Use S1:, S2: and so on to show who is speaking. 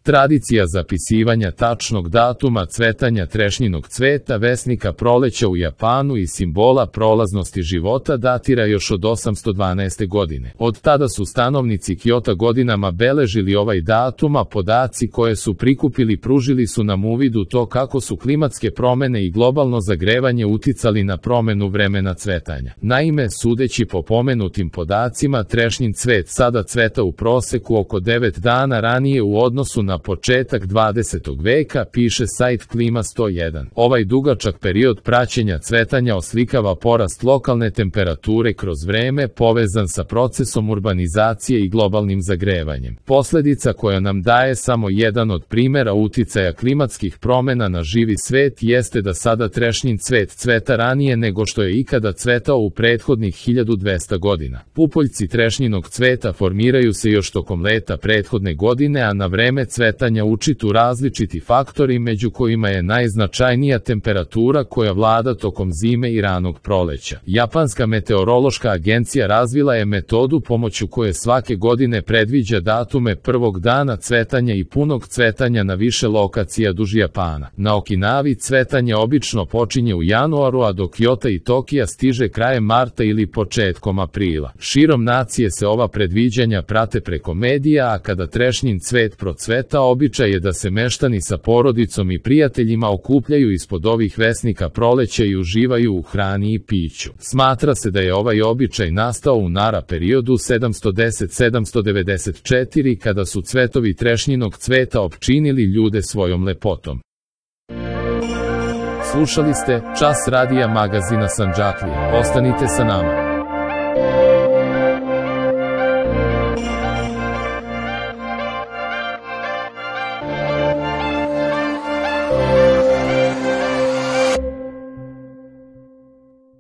S1: Tradicija zapisivanja tačnog datuma cvetanja trešnjinog cveta, vesnika proleća u Japanu i simbola prolaznosti života datira još od 812. godine. Od tada su stanovnici Kjota godinama beležili ovaj datum, a podaci koje su prikupili pružili su nam uvid u to kako su klimatske promene i globalno zagrevanje uticali na promenu vremena cvetanja. Naime, sudeći po pomenutim podacima, trešnjin cvet sada cveta u proseku oko 9 dana ranije u odnosu na početak 20. veka, piše sajt Klima 101. Ovaj dugačak period praćenja cvetanja oslikava porast lokalne temperature kroz vreme povezan sa procesom urbanizacije i globalnim zagrevanjem. Posledica koja nam daje samo jedan od primjera uticaja klimatskih promena na živi svet jeste da sada trešnjin cvet cveta ranije nego što je ikada cvetao u prethodnih 1200 godina. Pupoljci trešnjinog cveta formiraju se još tokom leta prethodne godine, a na vreme cvetanja utiču različiti faktori, među kojima je najznačajnija temperatura koja vlada tokom zime i ranog proleća. Japanska meteorološka agencija razvila je metodu pomoću koje svake godine predviđa datume prvog dana cvetanja i punog cvetanja na više lokacija duž Japana. Na Okinavi cvetanje obično počinje u januaru, a do Kjota i Tokija stiže krajem marta ili početkom aprila. Širom nacije se ova predviđanja prate preko medija, a kada trešnjin cvet procveta, običaj je da se meštani sa porodicom i prijateljima okupljaju ispod ovih vesnika proleća i uživaju u hrani i piću. Smatra se da je ovaj običaj nastao u Nara periodu 710-794 kada su cvetovi trešnjinog cveta opčinili ljude svojom lepotom. Slušali ste Čas radija magazina Sandžaklija. Ostanite sa nama.